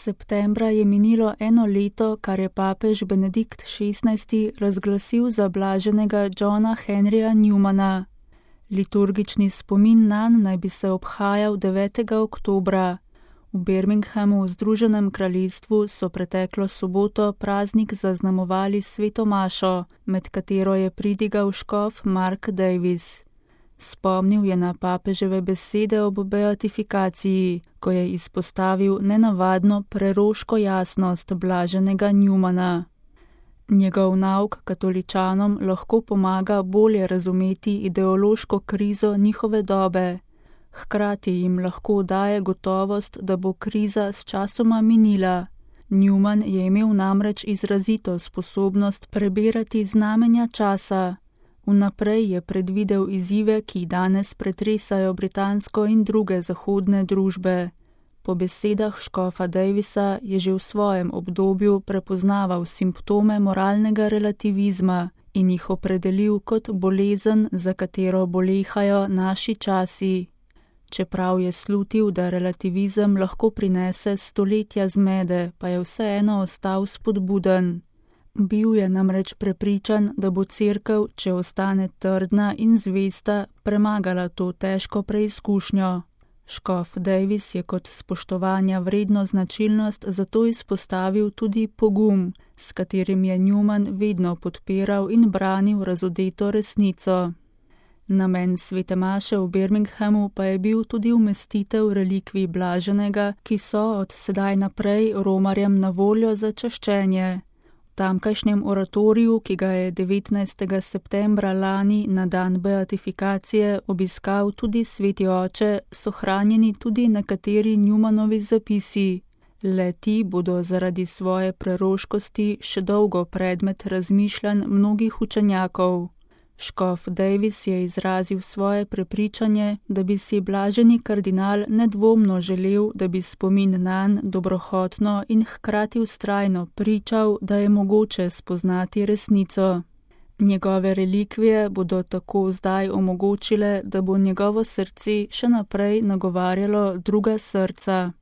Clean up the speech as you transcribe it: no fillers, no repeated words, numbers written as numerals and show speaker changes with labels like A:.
A: septembra je minilo 1 leto, kar je papež Benedikt XVI razglasil za blaženega Johna Henryja Newmana. Liturgični spomin nanj naj bi se obhajal 9. oktobra. V Birminghamu v Združenem kraljestvu so preteklo soboto praznik zaznamovali sveto mašo, med katero je pridigal škof Mark Davis. Spomnil je na papeževe besede ob beatifikaciji, ko je izpostavil nenavadno preroško jasnost blaženega Newmana. Njegov nauk katoličanom lahko pomaga bolje razumeti ideološko krizo njihove dobe. Hkrati jim lahko daje gotovost, da bo kriza sčasoma minila. Newman je imel namreč izrazito sposobnost prebirati znamenja časa. Vnaprej je predvidel izzive, ki danes pretresajo britansko in druge zahodne družbe. Po besedah škofa Davisa je že v svojem obdobju prepoznaval simptome moralnega relativizma in jih opredelil kot bolezen, za katero bolehajo naši časi. Čeprav je slutil, da relativizem lahko prinese stoletja zmede, pa je vseeno ostal spodbuden. Bil je namreč prepričan, da bo Cerkev, če ostane trdna in zvesta, premagala to težko preizkušnjo. Škof Davis je kot spoštovanja vredno značilnost zato izpostavil tudi pogum, s katerim je Newman vedno podpiral in branil razodeto resnico. Namen svete maše v Birminghamu pa je bil tudi umestitev relikvij blaženega, ki so od sedaj naprej romarjem na voljo za čaščenje. V tamkajšnjem oratoriju, ki ga je 19. septembra lani na dan beatifikacije obiskal tudi sveti oče, so hranjeni tudi nekateri Newmanovi zapisi. Le ti bodo zaradi svoje preroškosti še dolgo predmet razmišljanj mnogih učenjakov. Škof Davis je izrazil svoje prepričanje, da bi si blaženi kardinal nedvomno želel, da bi spomin nanj dobrohotno in hkrati vztrajno pričal, da je mogoče spoznati resnico. Njegove relikvije bodo tako zdaj omogočile, da bo njegovo srce še naprej nagovarjalo druga srca.